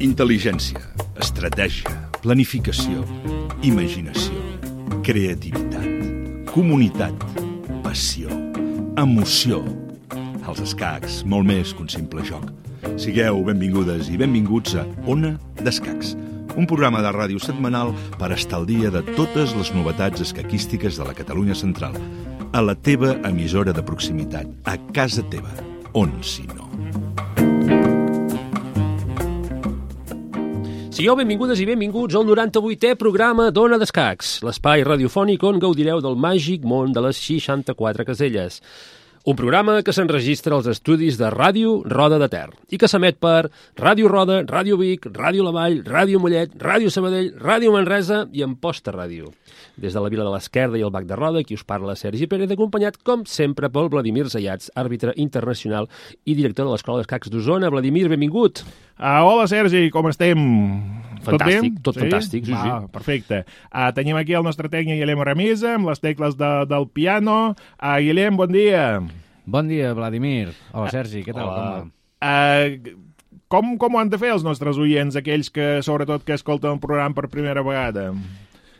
Intel·ligència, estratègia, planificació, imaginació, creativitat, comunitat, passió, emoció. Els escacs, molt més que un simple joc. Sigueu benvingudes i benvinguts a Ona d'Escacs, un programa de ràdio setmanal per estar al dia de totes les novetats escaquístiques de la Catalunya central, a la teva emissora de proximitat, a casa teva, on si no. Sigueu benvingudes i benvinguts al 98è programa d'Ona d'Escacs, l'espai radiofònic on gaudireu del màgic món de les 64 caselles. Un programa que s'enregistra als estudis de Ràdio Roda de Ter i que s'emet per Ràdio Roda, Ràdio Vic, Ràdio La Vall, Ràdio Mollet, Ràdio Sabadell, Ràdio Manresa i Amposta Ràdio. Des de la Vila de l'Esquerda i el Bac de Roda, qui us parla Sergi Pérez, acompanyat, com sempre, pel Vladimir Zayats, àrbitre internacional i director de l'Escola d'Escacs d'Osona. Vladimir, benvingut. Hola, Sergi, com estem? Fantàstic, tot fantàstic, sí. Perfecte. Tenim aquí el nostre tècnic Guillem Ramisa, amb les tecles del piano. Guillem, bon dia. Bon dia, Vladimir. Hola, Sergi, què tal? Hola. Com ho han de fer els nostres oients, aquells que, sobretot, que escolten el programa per primera vegada?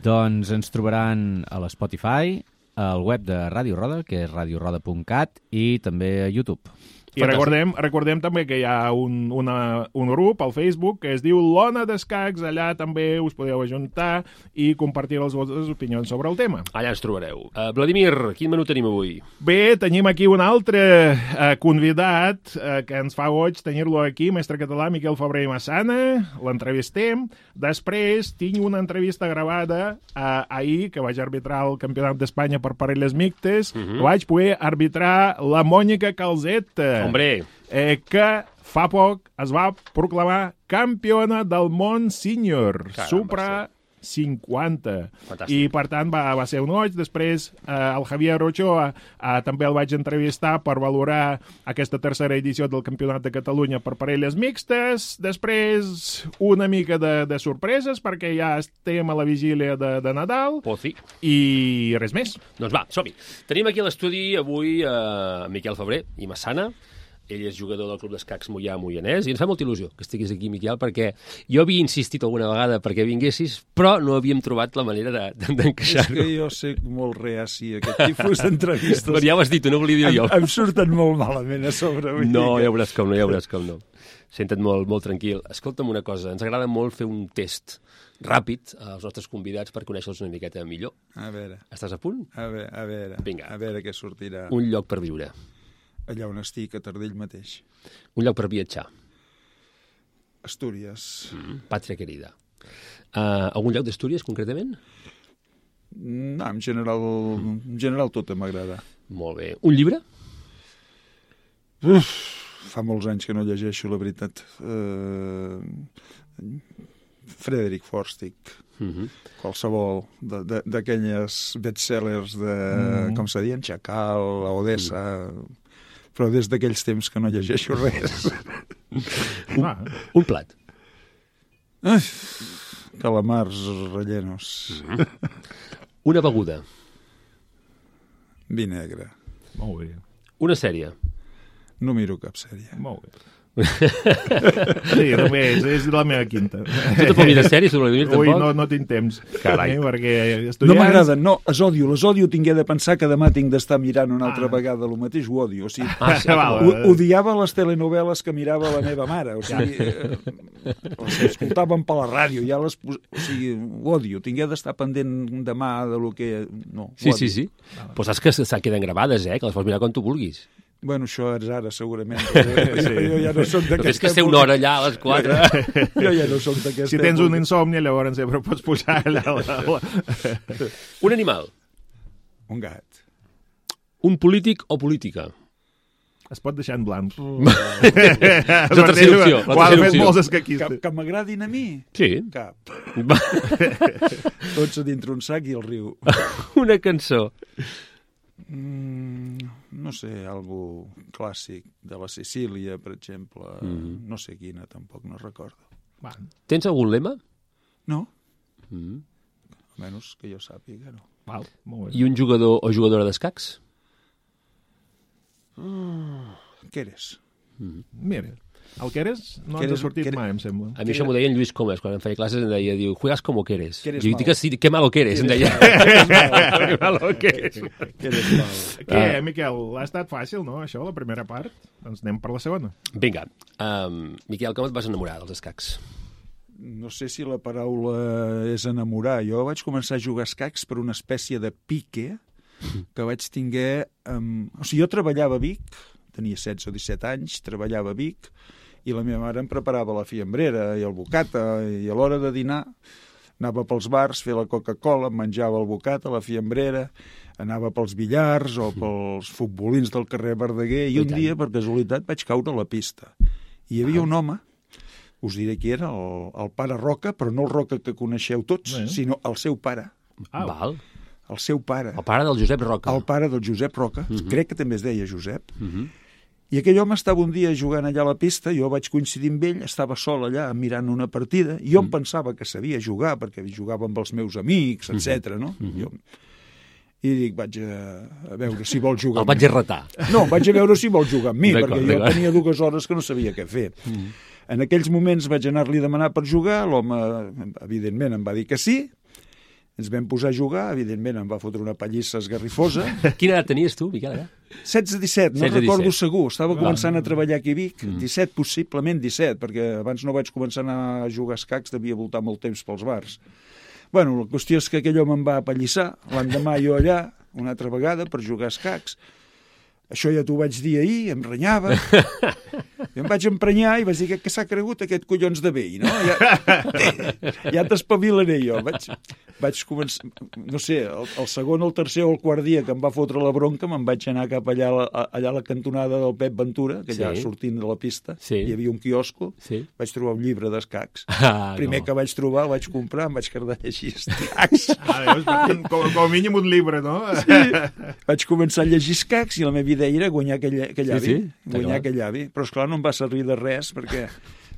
Doncs ens trobaran a l'Spotify, al web de Ràdio Roda, que és radioroda.cat, i també a YouTube. I recordem també que hi ha un grup al Facebook que es diu l'Ona d'Escacs. Allà també us podeu ajuntar i compartir les vostres opinions sobre el tema. Allà ens trobareu. Vladimir, quin menú tenim avui? Bé, tenim aquí un altre convidat que ens fa goig tenir-lo aquí, mestre català Miquel Febrer i Massana. L'entrevistem. Després tinc una entrevista gravada ahir, que vaig arbitrar el Campionat d'Espanya per parelles mixtes. Vaig poder arbitrar la Mònica Calzeta. Hombre. Que fa poc es va proclamar campiona del món sènior, Supra 50. Fantàstic. I, per tant, va ser un goig. Després, el Javier Ochoa també el vaig entrevistar per valorar aquesta tercera edició del Campionat de Catalunya per parelles mixtes. Després, una mica de sorpreses, perquè ja estem a la vigília de Nadal. Oh, sí. I res més. Doncs va, som-hi. Tenim aquí a l'estudi avui Miquel Febrer i Massana. Ell és jugador del Club d'Escacs Moianès, i ens fa molta il·lusió que estiguis aquí, Miquel, perquè jo havia insistit alguna vegada perquè vinguessis, però no havíem trobat la manera d'encaixar-ho. És que jo sé molt reaci a aquest tipus d'entrevistes. Però ja ho has dit, no volia dir jo. Em surten molt malament a sobre. No, ja veuràs com no. Senta't molt tranquil. Escolta'm una cosa, ens agrada molt fer un test ràpid als nostres convidats per conèixer-los una miqueta millor. A veure. Estàs a punt? A veure. Vinga. A veure què sortirà. Un lloc per viure. Allà on estic, a Tardell mateix. Un lloc per viatjar. Astúries. Pàtria querida. Algun lloc d'Astúries, concretament? No, en general tot m'agrada. Molt bé. Un llibre? Fa molts anys que no llegeixo, la veritat. Frederic Forstick. Qualsevol d'aquelles bestsellers de, com se diuen, Chacal, Odessa... Però des d'aquells temps que no llegeixo res. Un plat. Calamars rellenos. Una beguda. Vi negre. Molt bé. Una sèrie. No miro cap sèrie. Molt bé. Sí, només, és la meva quinta. Tu tampoc mires sèries, Vladimir, tampoc? Ui, no tinc temps. Carai. Perquè estudiants... No m'agraden, no, les odio tingué de pensar que demà tinc d'estar mirant una altra vegada el mateix, ho odio. O sigui, odiava les telenovel·les que mirava la meva mare, o sigui, les escoltàvem per la ràdio, ja les... O sigui, ho odio, tingué d'estar pendent demà de lo que... No, sí. Però saps que queden gravades, que les pots mirar quan tu vulguis. Bueno, això és ara, segurament. Jo ja no soc d'aquesta... És que ser una hora allà a les 4. Jo ja no soc d'aquesta... Si tens un insomni, llavors sempre pots posar allà... Un animal. Un gat. Un polític o política. Es pot deixar en blanc. És la tercera opció. Ho han fet molts escaquistes. Que m'agradin a mi? Sí. Cap. Tots a dintre un sac i el riu. Una cançó. No sé, algo clàssic de la Sicília, per exemple. No sé quina, tampoc, no recordo. Tens algun lema? No. Almenys que jo sàpiga, no. Val, molt bé. I un jugador o jugadora d'escacs? Què eres? Mira. El Queres no ens ha sortit mai, em sembla. A mi això m'ho deia en Lluís Comas, quan em feia classes em deia, diu, juegas como queres. Queres Jo dic que sí, que malo queres, em deia. Que malo queres. Què, Miquel, ha estat fàcil, no, això, la primera part? Doncs anem per la segona. Vinga, Miquel, com et vas enamorar dels escacs? No sé si la paraula és enamorar. Jo vaig començar a jugar escacs per una espècie de pique que vaig tinguer... O sigui, jo treballava a Vic, tenia 16 o 17 anys, treballava a Vic, i la meva mare em preparava la fiambrera i el bocata, i a l'hora de dinar anava pels bars, fer la Coca-Cola, em menjava el bocata, la fiambrera, anava pels billars o pels futbolins del carrer Verdaguer, i un dia, per casualitat, vaig caure a la pista. I hi havia un home, us diré qui era, el pare Roca, però no el Roca que coneixeu tots, sinó el seu pare. Val. El seu pare. El pare del Josep Roca. El pare del Josep Roca. Crec que també es deia Josep. I aquell home estava un dia jugant allà a la pista, jo vaig coincidir amb ell, estava sol allà mirant una partida, i jo em pensava que sabia jugar, perquè jugava amb els meus amics, etc. No? I dic, vaig a veure si vol jugar. El vaig a retar. No, vaig a veure si vol jugar amb mi, perquè jo tenia 2 hores que no sabia què fer. En aquells moments vaig anar-li a demanar per jugar, l'home, evidentment, em va dir que sí, ens vam posar a jugar, evidentment em va fotre una pallissa esgarrifosa. Quina edat tenies tu, Miquel? 16-17, no recordo segur. Estava començant a treballar aquí a Vic. 17, possiblement 17, perquè abans no vaig començar a anar a jugar escacs, devia voltar molt temps pels bars. Bueno, la qüestió és que aquell home em va apallissar. L'endemà jo allà, una altra vegada, per jugar escacs. Això ja t'ho vaig dir ahir, em renyava. I em vaig emprenyar i vaig dir que s'ha cregut aquest collons de vell, no? Ja t'espavilaré jo. Vaig començar, no sé, el segon, el tercer o el quart dia que em va fotre la bronca, me'n vaig anar cap allà a la cantonada del Pep Ventura, que allà sortint de la pista, hi havia un quiosco, vaig trobar un llibre d'escacs. Primer que vaig trobar, el vaig comprar, em vaig quedar a llegir escacs. Com a mínim un llibre, no? Sí. Vaig començar a llegir escacs i la meva idea era guanyar aquell avi. Guanyar aquell avi. Però, esclar, no em va servir de res, perquè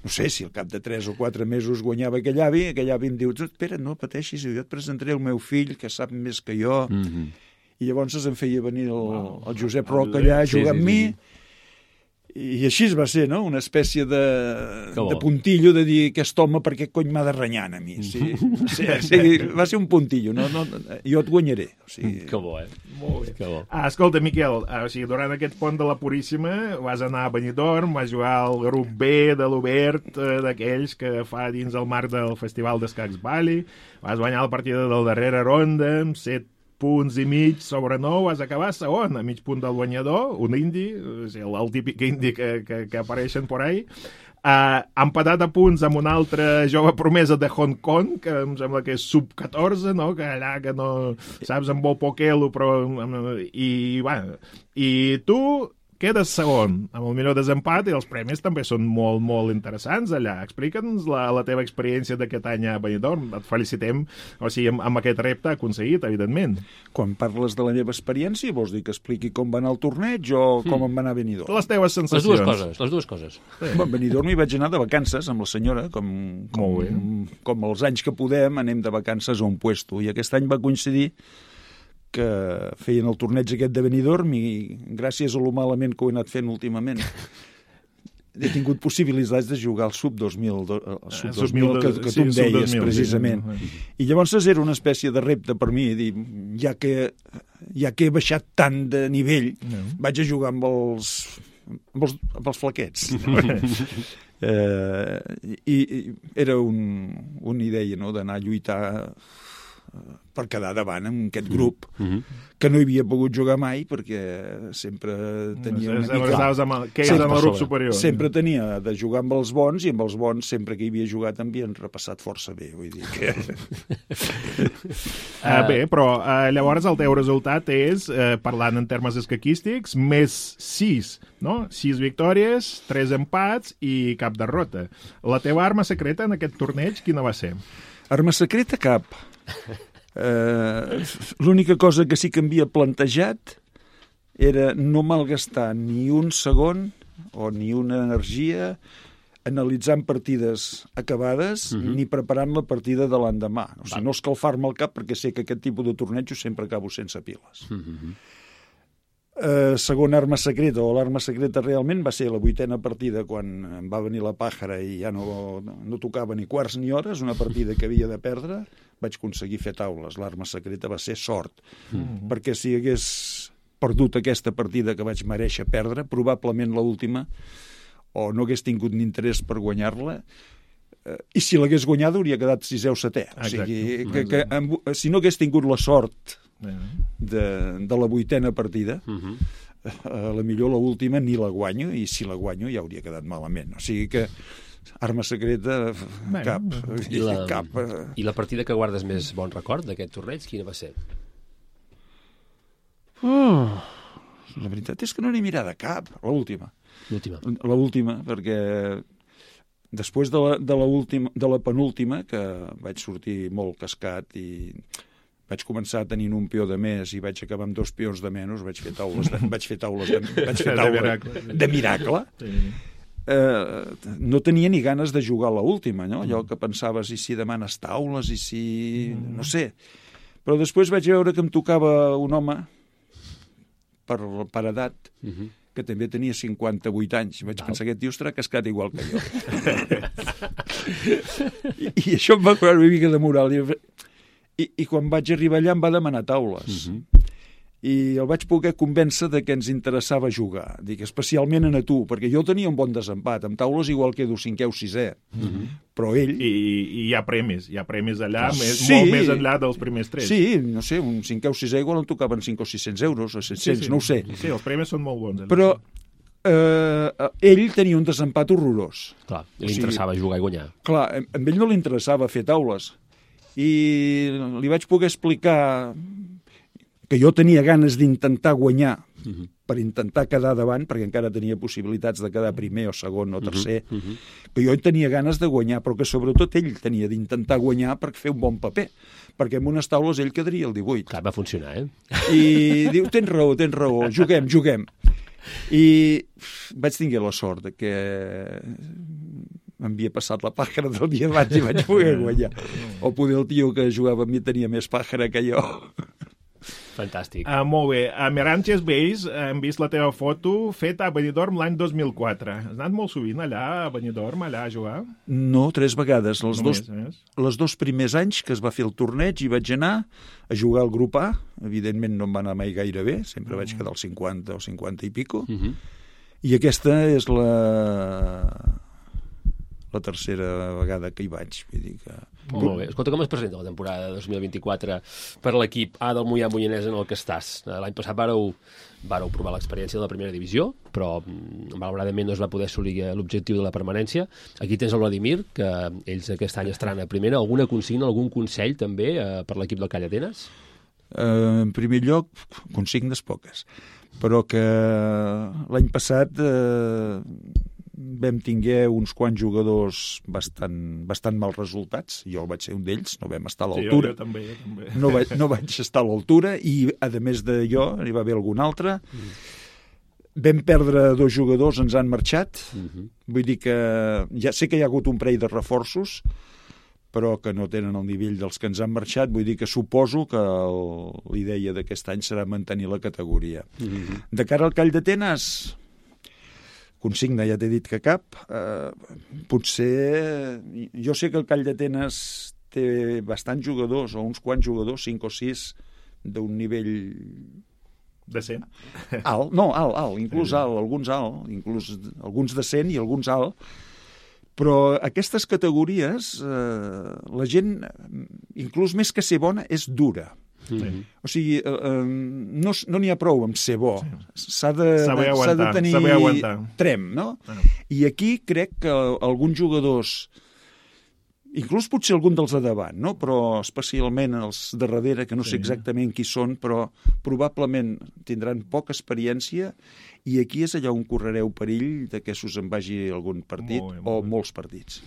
no sé si al cap de 3 o 4 mesos guanyava aquell avi em diu, espera, no pateixis, jo et presentaré el meu fill, que sap més que jo. I llavors em feia venir el Josep Roca allà a jugar amb mi, i així va ser, no? Una espècie de puntillo de dir, aquest home, per què cony m'ha de renyar a mi? Va ser un puntillo, jo et guanyaré. Que bo, Molt bé. Escolta, Miquel, durant aquest pont de la Puríssima vas anar a Benidorm, vas jugar al grup B de l'Obert, d'aquells que fa dins el marc del Festival d'Escacs Bali, vas guanyar la partida del darrera ronda amb 7 punts i mig sobre 9, vas acabar segon, a mig punt del guanyador, un indi, el típic indi que apareixen por ahí, empatat a punts amb una altra jove promesa de Hong Kong, que em sembla que és sub-14, no? Que allà que no saps amb bo poquelo, però... I tu quedes segon, amb el millor desempat, i els premis també són molt, molt interessants allà. Explica'ns la teva experiència d'aquest any a Benidorm. Et felicitem, amb aquest repte aconseguit, evidentment. Quan parles de la meva experiència, vols dir que expliqui com va anar el torneig o com em va anar a Benidorm? Les teves sensacions. Les dues coses. A Benidorm hi vaig anar de vacances amb la senyora, com els anys que podem, anem de vacances a un puesto, i aquest any va coincidir que feien el torneig aquest de Benidorm i gràcies a lo malament que ho he anat fent últimament he tingut possibilitats de jugar al sub-2000 que tu em deies precisament. I llavors era una espècie de repte per mi, dir, ja que he baixat tant de nivell, vaig a jugar amb els flaquets. I era una idea, no?, d'anar a lluitar per quedar davant en aquest grup que no hi havia pogut jugar mai perquè sempre tenia una mica... Sempre tenia de jugar amb els bons i amb els bons sempre que hi havia jugat m'havien repassat força bé, vull dir que... Bé, però llavors el teu resultat és, parlant en termes escaquístics, més 6, no? 6 victòries, 3 empats i cap derrota. La teva arma secreta en aquest torneig quina va ser? Arma secreta cap. L'única cosa que sí que m'havia plantejat era no malgastar ni un segon o ni una energia analitzant partides acabades ni preparant la partida de l'endemà. O sigui, no escalfar-me el cap perquè sé que aquest tipus de tornejos sempre acabo sense piles. Segona arma secreta, o l'arma secreta realment va ser la 8a partida, quan em va venir la pàjara i ja no tocava ni quarts ni hores, una partida que havia de perdre, vaig aconseguir fer taules. L'arma secreta va ser sort, perquè si hagués perdut aquesta partida que vaig mereixer perdre, probablement l'última, o no hagués tingut ni interès per guanyar-la, i si l'hagués guanyada hauria quedat 6è o 7è. O sigui, si no hagués tingut la sort de la 8a partida, a la millor l'última ni la guanyo, i si la guanyo ja hauria quedat malament. O sigui que arma secreta, cap. I la partida que guardes més bon record d'aquest torneig, quina va ser? La veritat és que no n'he mirada cap, l'última. L'última, perquè després de la penúltima, que vaig sortir molt cascat i vaig començar tenint un peó de més i vaig acabar amb 2 peons de menys, vaig fer taules de miracle. No tenia ni ganes de jugar a l'última, no? Allò que pensaves, i si demanes taules, i si... no sé. Però després vaig veure que em tocava un home per edat, que també tenia 58 anys. Vaig pensar que aquest tio estarà cascat igual que jo. I això em va posar una mica de moral. I quan vaig arribar allà em va demanar taules. I el vaig poder convèncer de que ens interessava jugar. Dic, especialment a tu, perquè jo tenia un bon desempat. Amb taules igual quedo 5è o 6è. Però ell... I hi ha premis allà, molt més enllà dels primers 3. Sí, no sé, un 5è o 6è igual em tocaven 500 o 600 euros, o 700, no ho sé. Sí, els premis són molt bons. Però ell tenia un desempat horrorós. Clar, li interessava jugar i guanyar. Clar, a ell no li interessava fer taules. I li vaig poder explicar que jo tenia ganes d'intentar guanyar per intentar quedar davant, perquè encara tenia possibilitats de quedar primer o segon o tercer, que jo tenia ganes de guanyar, però que sobretot ell tenia d'intentar guanyar per fer un bon paper, perquè en unes taules ell quedaria el 18. Clar, va funcionar, I diu, tens raó, juguem. I vaig tenir la sort que m'havia passat la pàjara del dia abans i vaig poder guanyar. O poder el tio que jugava amb mi tenia més pàjara que jo. Fantàstic. Molt bé. A Meranges Bays hem vist la teva foto feta a Benidorm l'any 2004. Has anat molt sovint allà a Benidorm, allà a jugar? No, 3 vegades. Els 2 primers anys que es va fer el torneig hi vaig anar a jugar al grup A. Evidentment no em va anar mai gaire bé, sempre vaig quedar al 50 o 50 i pico. I aquesta és la tercera vegada que hi vaig. Vull dir que... Molt bé. Escolta, com es presenta la temporada 2024 per l'equip A del Moià-Moianès en el que estàs? L'any passat vàreu provar l'experiència de la primera divisió, però malauradament no es va poder assolir l'objectiu de la permanència. Aquí tens el Vladimir, que ells aquest any estaran a primera. Alguna consigna, algun consell també per l'equip del Call Atenes? En primer lloc, consignes poques, però que l'any passat vam tinguer uns quants jugadors bastant mal resultats. Jo vaig ser un d'ells, no vam estar a l'altura. Jo també. No vaig estar a l'altura i, a més de jo, n'hi va haver algun altre. Vam perdre 2 jugadors, ens han marxat. Vull dir que ja sé que hi ha hagut un parell de reforços, però que no tenen el nivell dels que ens han marxat. Vull dir que suposo que l'idea d'aquest any serà mantenir la categoria. De cara al Call d'Atenes, consigna, ja t'he dit que cap. Potser... Jo sé que el Call d'Atenes té bastants jugadors, o uns quants jugadors, 5 o 6, d'un nivell... Decent? Alt, no, alt, inclús alt, alguns alt, inclús alguns decent i alguns alt. Però aquestes categories, la gent, inclús més que ser bona, és dura. O sigui, no n'hi ha prou amb ser bo. S'ha de tenir trem, no? I aquí crec que alguns jugadors, inclús potser algun dels de davant, no? Però especialment els de darrere, que no sé exactament qui són, però probablement tindran poca experiència, i aquí és allà on correreu perill de que s'us en vagi algun partit o molts partits.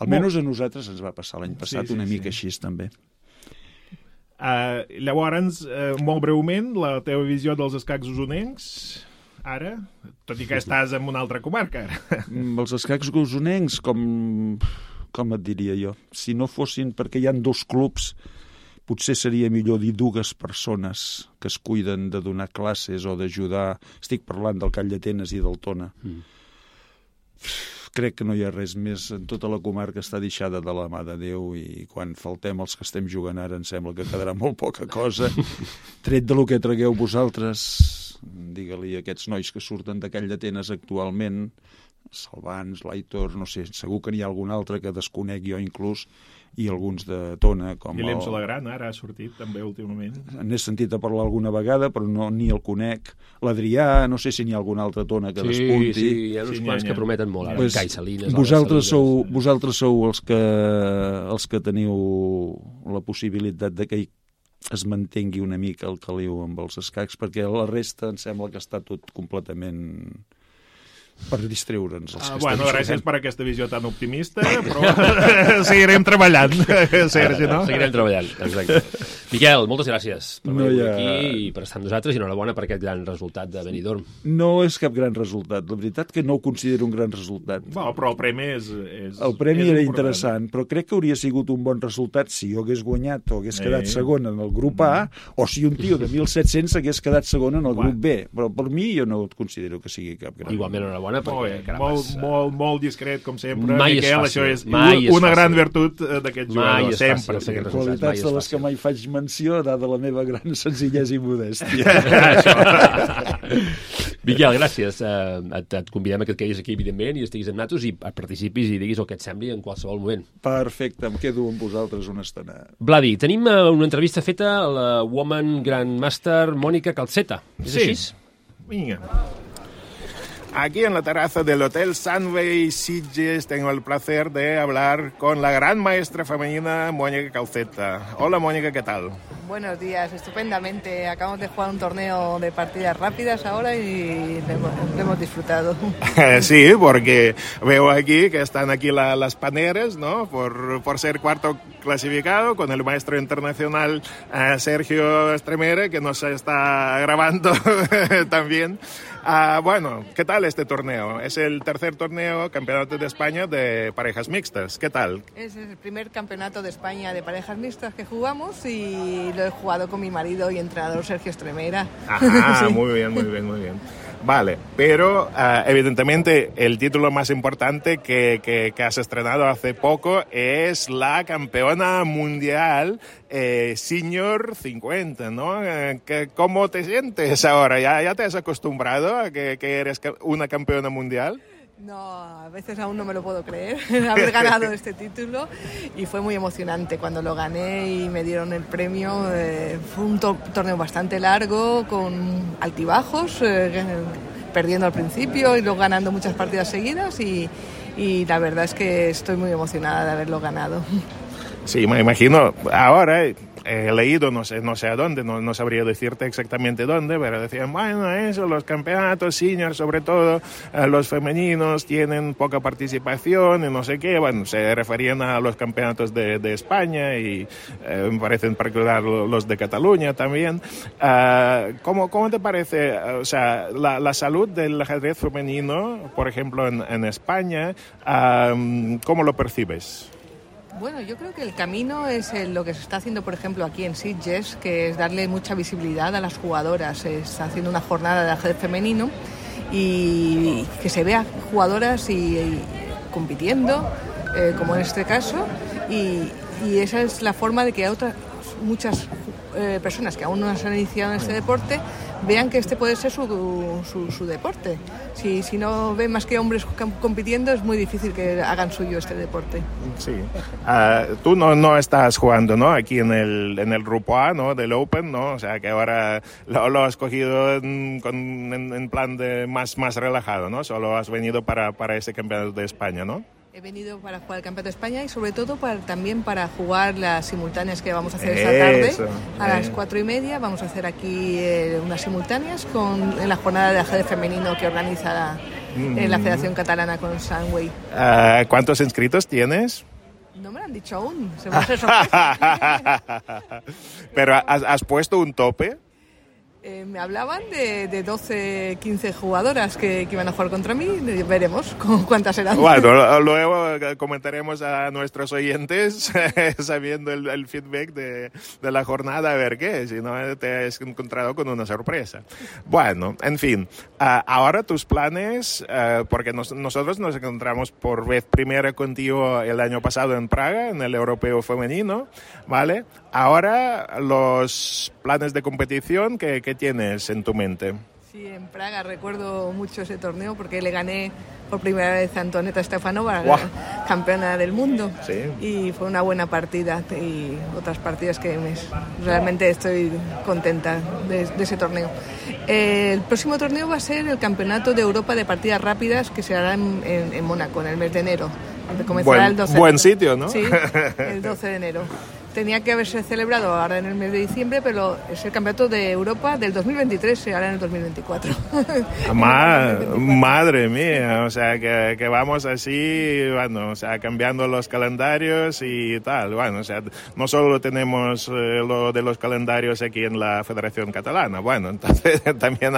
Almenys a nosaltres ens va passar l'any passat una mica així també. Llavors, molt breument, la teva visió dels escacs osonencs, ara, tot i que estàs en una altra comarca. Els escacs osonencs, com et diria jo, si no fossin perquè hi ha 2 clubs, potser seria millor dir 2 persones que es cuiden de donar classes o d'ajudar. Estic parlant del Call d'Atenes i del Tona. Crec que no hi ha res més. En tota la comarca està deixada de la mà de Déu i quan faltem els que estem jugant ara em sembla que quedarà molt poca cosa. Tret de lo que tragueu vosaltres, digue-li a aquests nois que surten de Call d'Atenes actualment, Salvans, l'Aitor, no sé, segur que n'hi ha algun altre que desconec jo inclús, i alguns de Tona, com Guillem Solagran, ara ha sortit també últimament. N'he sentit a parlar alguna vegada, però ni el conec. L'Adrià, no sé si n'hi ha algun altre Tona que despunti. Sí, hi ha uns quants que prometen molt. Pues, Cai Salines, vosaltres sou els que teniu la possibilitat de que es mantengui una mica el caliu amb els escacs, perquè la resta em sembla que està tot completament per distreure'ns. Bueno, gràcies per aquesta visió tan optimista, però seguirem treballant, Sergi, no? Seguirem treballant, exacte. Miquel, moltes gràcies per venir aquí i per estar amb nosaltres, i enhorabona per aquest gran resultat de Benidorm. No és cap gran resultat, la veritat que no ho considero un gran resultat. Bueno, però el premi és el premi era interessant, però crec que hauria sigut un bon resultat si jo hagués guanyat o hagués quedat segon en el grup A, o si un tio de 1.700 hagués quedat segon en el grup B. Però per mi jo no considero que sigui cap gran. Igualment, enhorabona, perquè molt discret, com sempre. Mai Miquel, és fàcil. això és una gran virtut d'aquest jugador, sempre. Qualitats de les que mai faig menció, dada la meva gran senzillesa i modèstia. Miquel, gràcies. Et convidem a que et quedis aquí, evidentment, i estiguis amb nosaltres i participis i diguis el que et sembli en qualsevol moment. Perfecte, em quedo amb vosaltres una estona. Vladi, tenim una entrevista feta a la Woman Grandmaster Mònica Calceta. És així? Vinga. Aquí en la terraza del Hotel Sunway Sitges tengo el placer de hablar con la gran maestra femenina Mónica Calceta. Hola Mónica, ¿qué tal? Buenos días, estupendamente. Acabamos de jugar un torneo de partidas rápidas ahora y lo hemos disfrutado. Sí, porque veo aquí que están aquí las paneras, ¿no? Por ser cuarto clasificado con el maestro internacional Sergio Estremera, que nos está grabando también. Bueno, ¿qué tal este torneo? Es el tercer torneo, campeonato de España de parejas mixtas. ¿Qué tal? Es el primer campeonato de España de parejas mixtas que jugamos y lo he jugado con mi marido y entrenador Sergio Estremera. Ajá, Sí. muy bien, muy bien, muy bien. Vale, pero evidentemente el título más importante que has estrenado hace poco es la campeona mundial Senior 50, ¿no? ¿Cómo te sientes ahora? ¿Ya te has acostumbrado a que eres una campeona mundial? No, a veces aún no me lo puedo creer, haber ganado este título, y fue muy emocionante cuando lo gané y me dieron el premio. Fue un torneo bastante largo, con altibajos, perdiendo al principio y luego ganando muchas partidas seguidas, y la verdad es que estoy muy emocionada de haberlo ganado. Sí, me imagino. Ahora he leído, no sé a dónde, no sabría decirte exactamente dónde, pero decían, bueno, eso, los campeonatos senior, sobre todo los femeninos, tienen poca participación y no sé qué. Bueno, se referían a los campeonatos de España y me parece en particular los de Cataluña también. ¿Cómo te parece, o sea, la salud del ajedrez femenino, por ejemplo, en España, cómo lo percibes? Bueno, yo creo que el camino es lo que se está haciendo, por ejemplo, aquí en Sitges, que es darle mucha visibilidad a las jugadoras. Se está haciendo una jornada de ajedrez femenino y que se vea jugadoras y compitiendo, como en este caso, y esa es la forma de que muchas personas que aún no se han iniciado en este deporte vean que este puede ser su deporte. Si no ven más que hombres compitiendo, es muy difícil que hagan suyo este deporte. Sí. Tú no estás jugando, ¿no? Aquí en el grupo A, ¿no? Del Open, ¿no? O sea, que ahora lo has cogido en plan de más relajado, ¿no? Solo has venido para este campeonato de España, ¿no? He venido para jugar el Campeonato de España y sobre todo también para jugar las simultáneas que vamos a hacer esta tarde. A las 4:30 vamos a hacer aquí unas simultáneas en la jornada de ajedrez femenino que organiza la Federación Catalana con Sunway. ¿Cuántos inscritos tienes? No me lo han dicho aún, se va a hacer sorpresa. ¿Pero has puesto un tope? Me hablaban de 12, 15 jugadoras que iban a jugar contra mí. Veremos cuántas serán. Bueno, luego comentaremos a nuestros oyentes sabiendo el feedback de la jornada, a ver qué, si no te has encontrado con una sorpresa. Bueno, en fin, ahora tus planes, porque nosotros nos encontramos por vez primera contigo el año pasado en Praga, en el Europeo Femenino, ¿vale? Ahora los planes de competición que tienes en tu mente. Sí, en Praga recuerdo mucho ese torneo porque le gané por primera vez a Antoneta Stefanova, wow, campeona del mundo. Sí. Y fue una buena partida y otras partidas que realmente estoy contenta de ese torneo. El próximo torneo va a ser el Campeonato de Europa de Partidas Rápidas que se hará en Mónaco en el mes de enero. Comenzará el 12 buen sitio, ¿no? Sí, el 12 de enero. Tenía que haberse celebrado ahora en el mes de diciembre, pero es el Campeonato de Europa del 2023, se hará en el 2024. Madre mía, o sea, que vamos así, bueno, o sea, cambiando los calendarios y tal. Bueno, o sea, no solo tenemos lo de los calendarios aquí en la Federación Catalana, bueno, entonces también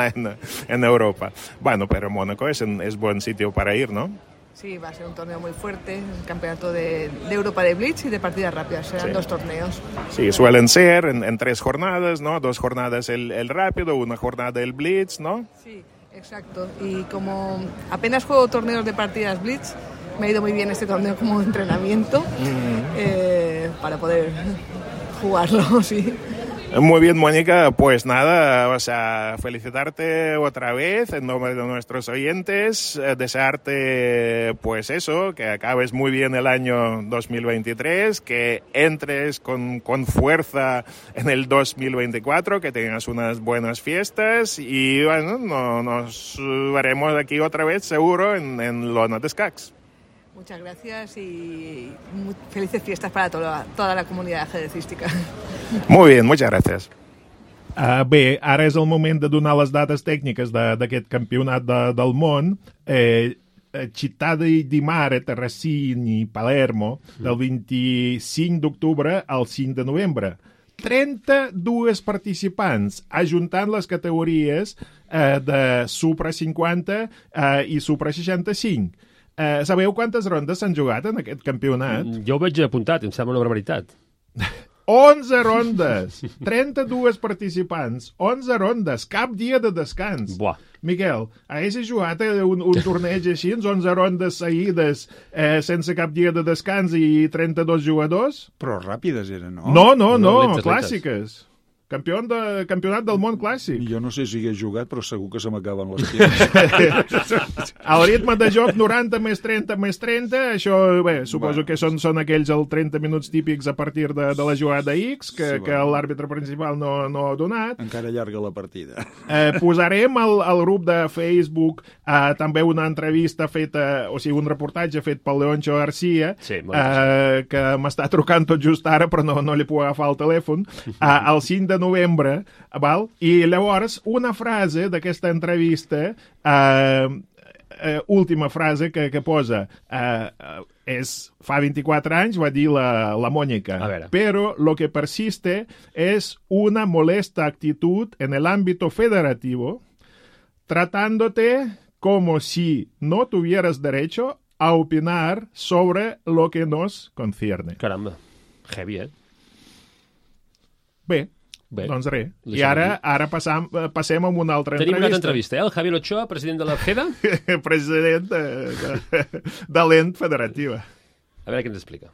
en Europa. Bueno, pero Mónaco es buen sitio para ir, ¿no? Sí, va a ser un torneo muy fuerte, un campeonato de Europa de Blitz y de partidas rápidas, serán dos torneos. Sí, suelen ser en 3 jornadas, ¿no? 2 jornadas el rápido, 1 jornada el Blitz, ¿no? Sí, exacto. Y como apenas juego torneos de partidas Blitz, me ha ido muy bien este torneo como entrenamiento para poder jugarlo, sí. Muy bien, Mónica, pues nada, o sea, felicitarte otra vez en nombre de nuestros oyentes, desearte, pues eso, que acabes muy bien el año 2023, que entres con fuerza en el 2024, que tengas unas buenas fiestas y, bueno, nos veremos aquí otra vez, seguro, en Lona d'Escacs. Muchas gracias y felices fiestas para toda la comunitat ajedrecística. Molt bé, muchas gracias. Bé, ara és el moment de donar les dates tècniques d'aquest campionat del món. Città di Mare, Terracini, Palermo, del 25 d'octubre al 5 de novembre. 32 participants, ajuntant les categories de Supra 50 i Supra 65. Sabeu quantes rondes s'han jugat en aquest campionat? Jo ho veig apuntat, em sembla una barbaritat. 11 rondes! 32 participants, 11 rondes, cap dia de descans. Buah. Miquel, haguessis jugat un torneig així, 11 rondes seguides, sense cap dia de descans i 32 jugadors? Però ràpides eren, no? No, clàssiques. Campionat del món clàssic. Jo no sé si hi he jugat, però segur que se m'acaben les piernas. El ritme de joc 90 més 30 més 30, això, bé, suposo que són aquells els 30 minuts típics a partir de la jugada X, que l'àrbitre principal no ha donat. Encara allarga la partida. Posarem al grup de Facebook també una entrevista feta, o sigui, un reportatge fet pel Leoncho García, que m'està trucant tot just ara, però no li puc agafar el telèfon, el 5 de novembre, val? I llavors una frase d'aquesta entrevista, última frase que posa, fa 24 anys va dir la Mónica, pero lo que persiste es una molesta actitud en el ámbito federativo, tratándote como si no tuvieras derecho a opinar sobre lo que nos concierne. Caramba, heavy, Bé, doncs res. I ara passem a una altra entrevista. Tenim una altra entrevista, el Javier Ochoa, president de la FEDA. President de l'ENT federativa. A veure què ens explica.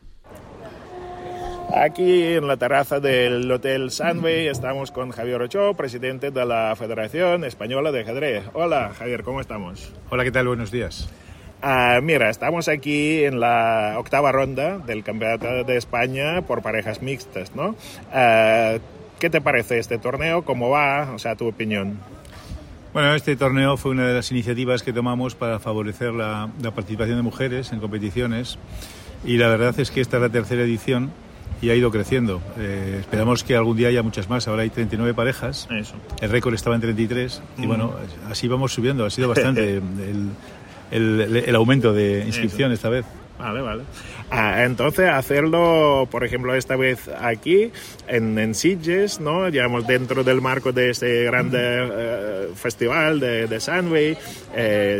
Aquí en la terraza del Hotel Sunway estamos con Javier Ochoa, presidente de la Federación Española de Ajedrez. Hola, Javier, ¿cómo estamos? Hola, ¿qué tal? Buenos días. Mira, estamos aquí en la 8ª ronda del Campeonato de España por parejas mixtas, ¿no? ¿Qué te parece este torneo? ¿Cómo va? O sea, tu opinión. Bueno, este torneo fue una de las iniciativas que tomamos para favorecer la participación de mujeres en competiciones y la verdad es que esta es la 3ª edición y ha ido creciendo. Esperamos que algún día haya muchas más. Ahora hay 39 parejas. Eso. El récord estaba en 33 y bueno, así vamos subiendo. Ha sido bastante el aumento de inscripción esta vez. Vale. Entonces, hacerlo, por ejemplo, esta vez aquí, en Sitges, ¿no? Digamos, dentro del marco de este grande festival de Sunway,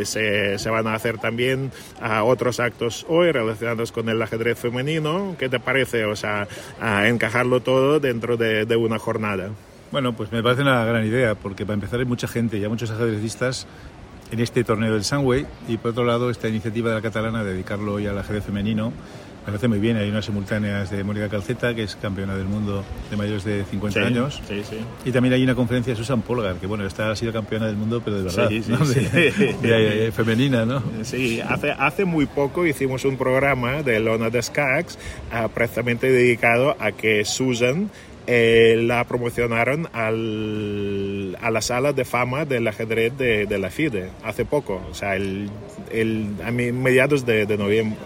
se van a hacer también otros actos hoy relacionados con el ajedrez femenino. ¿Qué te parece? O sea, encajarlo todo dentro de una jornada. Bueno, pues me parece una gran idea, porque para empezar hay mucha gente, ya muchos ajedrecistas en este torneo del Sunway, y por otro lado esta iniciativa de la catalana de dedicarlo hoy al ajedrez femenino me parece muy bien. Hay unas simultáneas de Mónica Calceta, que es campeona del mundo de mayores de 50 años, y también hay una conferencia de Susan Polgar, que bueno, esta ha sido campeona del mundo, pero de verdad, ¿no? Femenina, ¿no? Sí, hace muy poco hicimos un programa de Lona d'Escacs precisamente dedicado a que Susan la promocionaron a la sala de fama del ajedrez de la FIDE hace poco, o sea, a mediados de noviembre,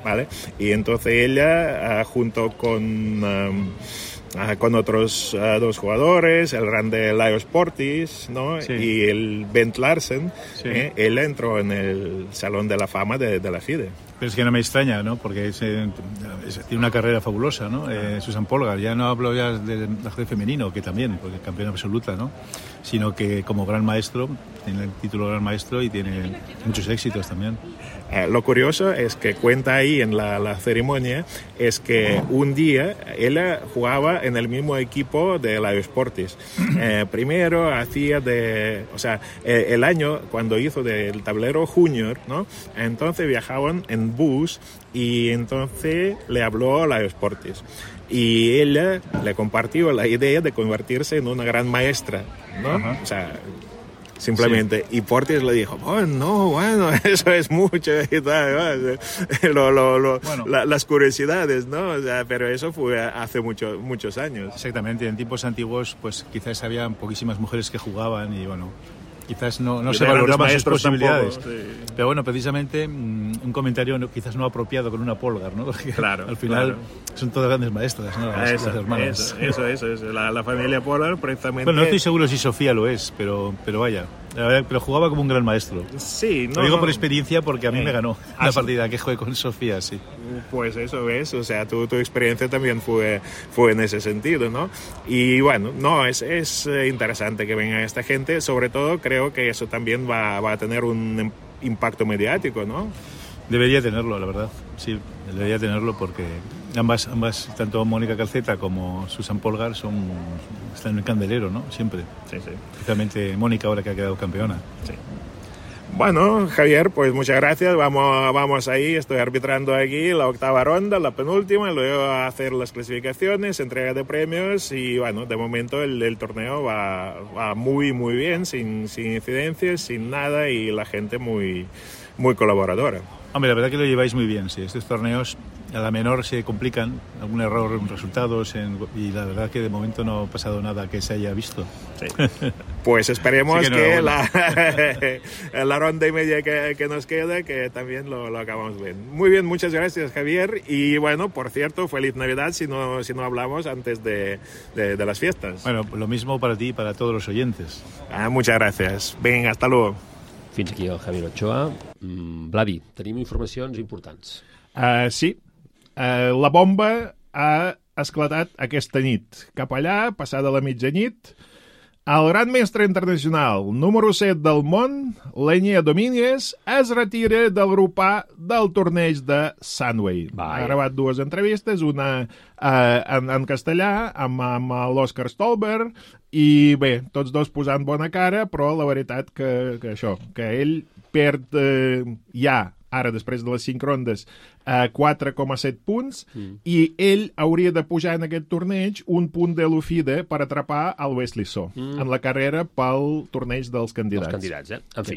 ¿vale? Y entonces ella, junto con otros dos jugadores, el grande Laios Portis, ¿no? Sí. Y el Bent Larsen, sí. Él entró en el Salón de la Fama de la FIDE. Pero es que no me extraña, ¿no? Porque tiene una carrera fabulosa, ¿no? Susan Polgar, ya no hablo ya del ajedrez femenino, que también, porque es campeona absoluta, ¿no? Sino que como gran maestro, tiene el título de gran maestro y tiene muchos éxitos también. Lo curioso es que cuenta ahí en la ceremonia es que un día ella jugaba en el mismo equipo de Laios Portis. Primero hacía el año cuando hizo del tablero junior, ¿no? Entonces viajaban en bus y entonces le habló a Laios Portis. Y ella le compartió la idea de convertirse en una gran maestra, ¿no? Ajá. O sea, simplemente. Sí. Y Portis le dijo, bueno, eso es mucho y tal, las curiosidades, ¿no? O sea, pero eso fue hace muchos años. Exactamente, en tiempos antiguos pues quizás había poquísimas mujeres que jugaban y bueno, quizás no se valoraban sus posibilidades. Tampoco, sí. Pero bueno, precisamente un comentario quizás no apropiado con una Polgar, ¿no? Porque claro, al final son todas grandes maestras, ¿no? Las hermanas. Eso. La familia Polgar, precisamente. Bueno, no estoy seguro si Sofía lo es, pero vaya. Pero jugaba como un gran maestro. Sí, lo digo por experiencia porque a mí me ganó la partida que jugué con Sofía, sí. Pues eso ves, o sea, tu experiencia también fue en ese sentido, ¿no? Y bueno, es interesante que venga esta gente, sobre todo creo que eso también va a tener un impacto mediático, ¿no? Debería tenerlo, la verdad, sí, debería tenerlo porque ambas, tanto Mónica Calceta como Susan Polgar están en el candelero, ¿no? Siempre. Sí. Especialmente Mónica ahora que ha quedado campeona. Sí. Bueno, Javier, pues muchas gracias. Vamos ahí, estoy arbitrando aquí la octava ronda, la penúltima, luego a hacer las clasificaciones, entrega de premios y bueno, de momento el torneo va muy, muy bien, sin incidencias, sin nada y la gente muy, muy colaboradora. Hombre, la verdad que lo lleváis muy bien, sí. Estos torneos a la menor se complican, algún error en resultados y la verdad que de momento no ha pasado nada que se haya visto. Sí. Pues esperemos que la ronda y media que nos queda, que también lo acabamos bien. Muy bien, muchas gracias, Javier. Y bueno, por cierto, feliz Navidad si no hablamos antes de las fiestas. Bueno, lo mismo para ti y para todos los oyentes. Muchas gracias. Venga, hasta luego. Fins aquí el Javier Ochoa. Vladi, tenim informacions importants. Sí. La bomba ha esclatat aquesta nit. Cap allà, passada la mitjanit, el gran mestre internacional número 7 del món, Leñé Domínguez, es retira del grup A del torneig de Sunway. Ha gravat 2 entrevistes, una en castellà amb l'Òscar Stolberg, i bé, tots dos posant bona cara, però la veritat que ell perd ja, ara després de les 5 rondes, 4,7 punts, i ell hauria de pujar en aquest torneig un punt de l'UFIDE per atrapar el Wesley So en la carrera pel torneig dels candidats. Els candidats, En fi.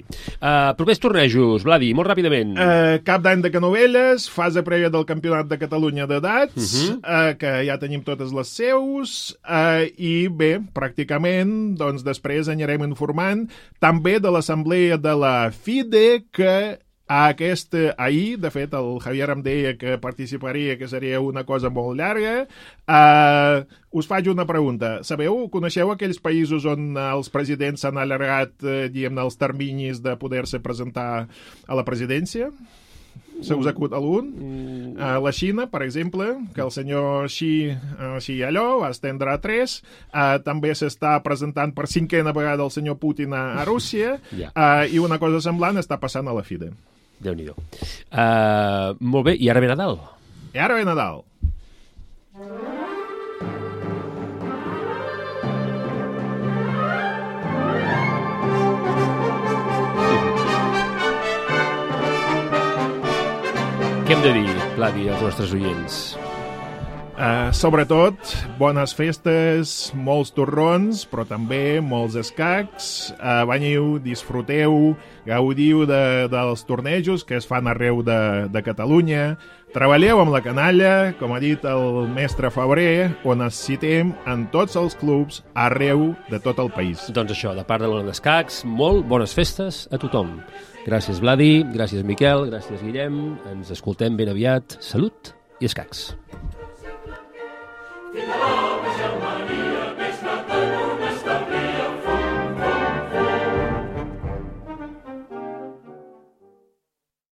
Propers tornejos, Vladi, molt ràpidament. Cap d'any de Canovelles, fase prèvia del Campionat de Catalunya d'edats, que ja tenim totes les seus, i bé, pràcticament, doncs després anirem informant també de l'assemblea de la FIDE, que ahir, de fet, el Javier em deia que participaria, que seria una cosa molt llarga. Us faig una pregunta. Coneixeu aquells països on els presidents s'han allargat, diguem-ne, els terminis de poder-se presentar a la presidència? se us acut algun? La Xina, per exemple, que el senyor Xi allò va estendre a 3. També s'està presentant per 5a vegada el senyor Putin a Rússia. I una cosa semblant està passant a la FIDE. Déu-n'hi-do. Molt bé, i ara ve Nadal. I ara ve Nadal. Què hem de dir, Vladi, als nostres oients? Sobretot, bones festes, molts torrons, però també molts escacs. Veniu, disfruteu, gaudiu dels tornejos que es fan arreu de Catalunya. Treballeu amb la canalla, com ha dit el mestre Febrer, on necessitem en tots els clubs arreu de tot el país. Doncs això, de part de l'Ona d'Escacs, molt bones festes a tothom. Gràcies, Vladi, gràcies, Miquel, gràcies, Guillem. Ens escoltem ben aviat. Salut i escacs. Fins a l'home,